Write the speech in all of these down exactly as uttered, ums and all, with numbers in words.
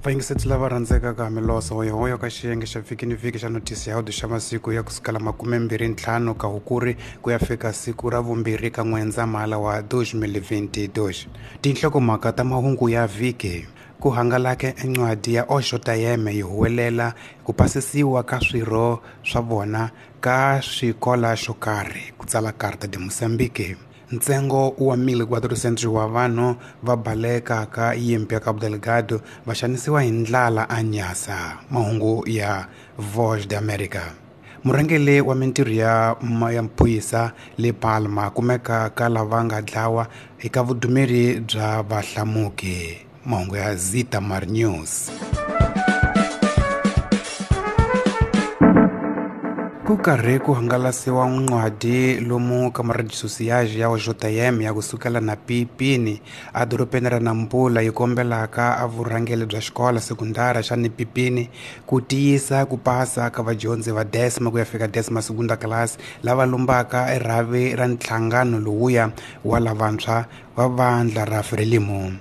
Vayingiseti lava rhandzekaka miloso hoyohoyo ka xiyenge xa vhiki ni vhiki xa notisi ya audio xa masiku ya kusukela makumembirhi ntlhanu ka Hukuri ku ya fika siku ra vumbirhi ka N'wendzamhala wa elfu mbirhi ishirini na mbirhi. Tinhlokomhaka ta mahungu ya vhiki: ku hangalaka encwadi ya O J M yi huwelela ku pasisiwa ka swirho swa vona ka swikola xo karhi, ku tsala Carta de Moçambique. Ntsengo wa mil quatrocentos wa vanhu va balekaka yimpi ya Cabo Delgado va xanisiwa hi ndlala a Nyasa. Mahungu ya Voz de América. Murhangeri wa mintirho ya ya maphorisa le Palma kumeka ka lava nga dlawa eka vudumeri bya vahlamuki. Mahungu ya Zitamar News. Ku karhi ku hangalasiwa ncwadi lomu ka marejisosiyaji ya O J M ya kusukela na Pipini a dorobeni ra Nampula yi kombelaka a vurhangeri bya xikolo sekundara xa Nipipini ku tiyisa ku pasa ka vadyondzi va décima ku ya fika décima segunda class lava lombaka erhavi ra nhlangano lowuya wa lavantshwa va vandla ra Frelimo.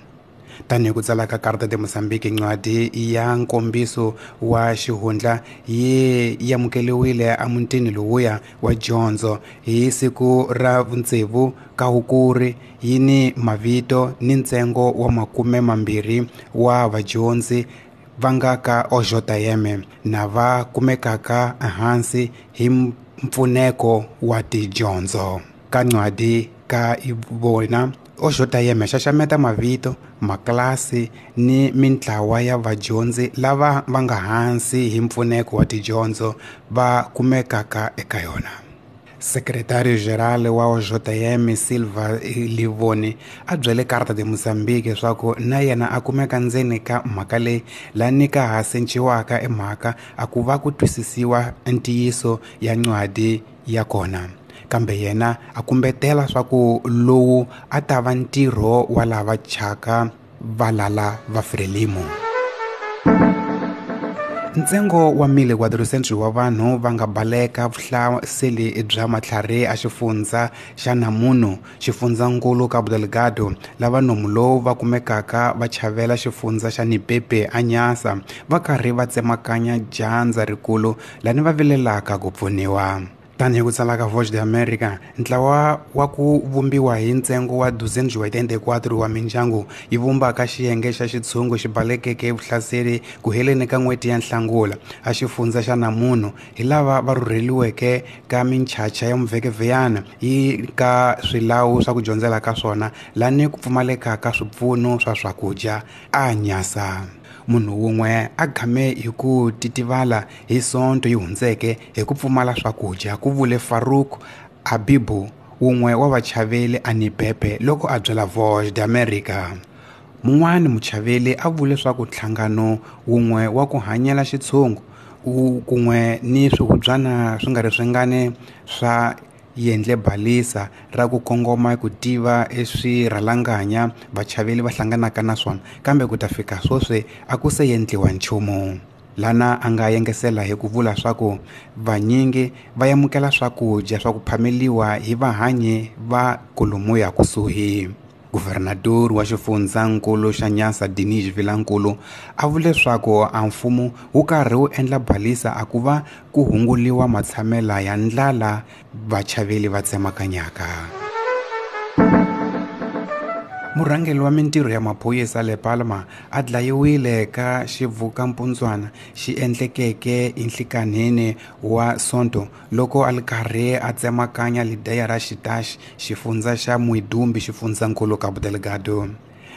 Tanihi ku tsala ka Carta de Moçambique, ncwadi ya nkombiso wa xihundla yi amukeriwile emutini lowuya wa dyondzo hi siku ra vutsevu ka Hukuri, yi ni mavito ni ntsengo wa makume mambirhi wa vadyondzi va nga ka O J M na va kumekaka ehansi hi mpfuneko wa tidyondzo. Ka ncwadi ka vona O J M xaxameta mavito, maklasi ni mintlawa ya vadyondzi lava va nga hansi hi mpfuneko wa tidyondzo va kumekaka eka yona. Secretario Geral wa O J M Silva Livoni a byele Carta de Moçambique leswaku na yena a kumeka ndzeni ka mhaka leyi lani ka ha senciwaka emhaka a ku va ku twisisiwa ntiyiso ya ncwadi ya kona. Kambe yena a kumbetela swa ku lowu a ta va ntirho wa lava chaka valala va Frelimo. Ntsengo wa mil quatrocentos wa vanhu va nga baleka vuhlaseli bya matlhari a xifundza xa Namuno, xifundzankulu Cabo Delgado, lava nomu lowu va kumekaka va chavela xifundza xa Nipepe a Nyasa va karhi va tsemakanya dyandza rikulu lani va vilelaka ku pfuniwa. Tanihi ku tsala ka Voz de América, ntlawa wa ku vumbiwa hi ntsengo wa duzentos e oitenta e quatro wa mindyangu yi vumbaka xiyenge xa xitshungu xi balekeke vuhlaseri ku heleni ka n'hweti ya Nhlangula a xifundza xa Namuno hi lava va rhurheliweke ka minchacha ya muvhekevheyana yi ka swilawu swa ku dyondzela ka swona lani ku pfumaleka ka swipfuno swa swakudya a Nyasa. Munhu wun'we a game hi ku titivala hi Sonto yi hundzeke hi ku pfumala swakudya, ku vule Farouk Abibu, wun'we wa vachaveli a Nipepe loko a byela Voz de América. Mun'wani muchaveli a vule swa ku nhlangano wun'we wa ku hanyela xitshungu kun'we ni swihubyana swi nga ri swingani swa yendle balisa ra ku kongoma ku tiva eswirhalanganya vachaveli va hlanganaka na swona, kambe ku ta fika sweswi a ku se endliwa nchumu. Lana a nga yengesela hi ku vula swa ku vanyingi va amukela swakudya swa ku phameliwa hi vahanyi va kolomuya kusuhi. Governador wa xifundzankulu xa Nyasa Dinis Vilankulu a vule leswaku a mfumo wu karhi wu endla balisa a ku va ku hunguliwa matshamela ya ndlala vachaveli va tsemakanyaka. Murhangeri wa mintirho ya maphorisa le Palma a dlayiwile ka xivukampundzwana xi endlekeke enhlikanhini wa Sonto loko a ri karhi a tsemakanya lideya ra Xitaxi, xifundza xa Muidumbe, xifundzankulu Cabo Delgado.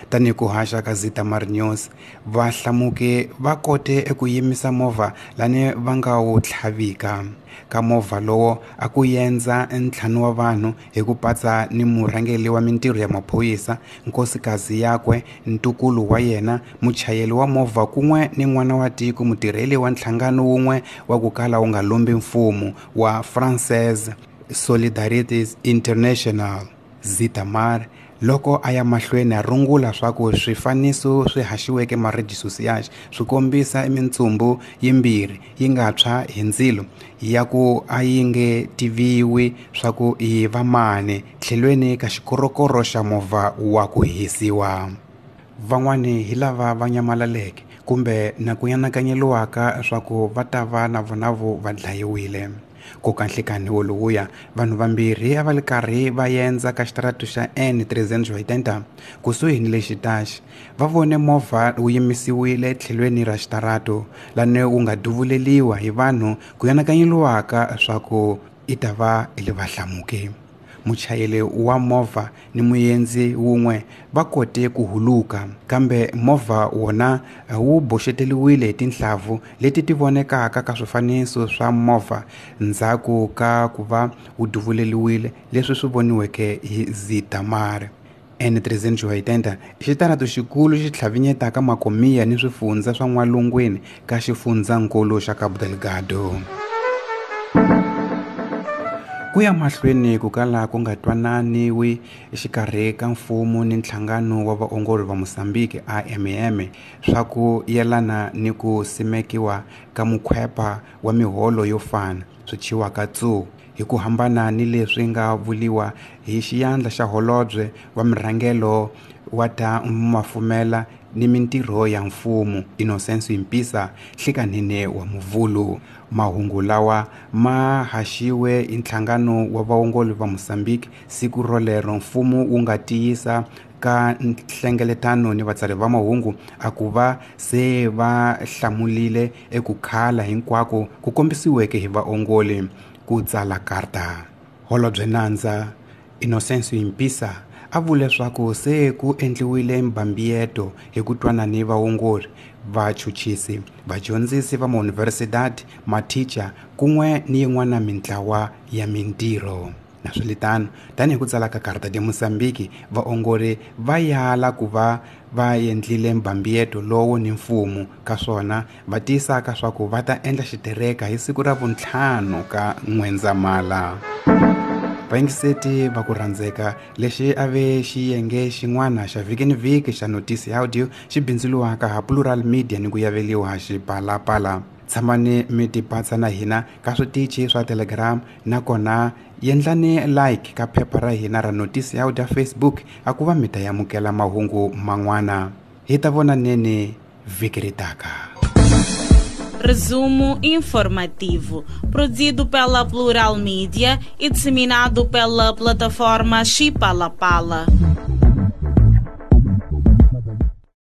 Tanihi ku haxa ka Zitamar News, vahlamuki va kote eku yimisa movha lani va nga wu tlhavika. Ka movha lowo a ku yendza ntlhanu wa vanhu hi ku patsa ni murhangeri wa mintirho ya maphorisa, nkosikazi yakwe, ntukulu wa yena, muchayeri wa movha kun'we ni n'wana wa tiko mutirheli wa nhlangano wun'we wa ku kala wu nga lombi mfumo wa Française Solidarité International. Zitamar loko a ya mahlweni a rungula swa ku swifaniso swi haxiweke marejisosiyaji swi kombisa mintsumbu yimbirhi yi nga tshwa hi ndzilo ya ku a yi nge tiviwi swa ku i va mani tlhelweni ka xikorokoro xa movha wa ku hisiwa. Van'wani hi lava va nyamalaleke kumbe na ku yanakanyeliwaka swa ku va ta va na vona vo va dlayiwile. Ku ka nhlikani wolowuya vanhu vambirhi a va li karhi va yendza ka xitaratu xa N trezentos e oitenta kusuhi ni le xitaxi va vone movha wu yimisiwile tlhelweni ra xitaratu lani wu nga duvuleliwa hi vanhu ku yanakanyeliwaka swa ku i ta va i le vahlamuki. Muchayeri wa movha ni muendzi wun'we va kote ku huluka, kambe movha wona wu boxeteriwile hi tinhlavu leti ti vonekaka ka swifaniso swa movha ndzhaku ka ku va wu duvuleliwile, leswi swi voniweke hi Zitamar. N trezentos e oitenta i xitaratu xikulu xi tlhavinyetaka makomiya ni swifundza swa n'walungwini ka xifundzankulu xa Cabo Delgado. Ku ya mahlweni ku kala ku nga twananiwi exikarhi ka mfumo ni nhlangano wa vaongori va Mozambique A M M swa ku yelana ni ku simekiwa ka mukhwepa wa miholo yo fana swi thyiwaka T S U hi ku hambana ni leswi nga vuliwa hi xiyandla xa holobye wa murhangelo wa ta mafumela ni mintirho ya mfumo Innocencio Impissa nhlikanhini wa Muvhulu. Mahungu lawa ma haxiwe hi nhlangano wa vaongori va Mozambique siku rolero mfumo wu nga tiyisa ka nhlengeletano ni vatsari va mahungu a ku va se va hlamulile eku khala hinkwako ku kombisiweke hi vaongori ku tsala karta. Holobye nandza Innocencio Impissa a vule leswaku se ku endliwile mbambiyeto hi ku twana ni vaongori, vachuchisi, vadyondzisi va mauniversidadi, mathicha kun'we ni yin'wana mintlawa ya mintirho. Naswilitano, tanihi ku tsala ka Carta de Mozambique, vaongori va yala ku va va endlile mbambiyeto lowu ni mfumo ka swona va tiyisaka swa ku va ta endla xitereka hi siku ra vuntlhanu ka N'wendzamhala. Vayingiseti va ku rhandzeka, lexi a ve xiyenge xin'wana xa vhiki ni vhiki xa Notice Audio xi bindzuriwaka ha Plural Media ni ku yaveliwa xipalapala. Tshamani mi tipatsa na hina ka switichi swa Telegram, nakona yendlani like ka phepha ra hina ra Notice Audio Facebook a ku va mi ta amukela mahungu man'wana. Hi ta vonaneni vhiki ri taka. Resumo informativo, produzido pela Plural Mídia e disseminado pela plataforma Xipalapala.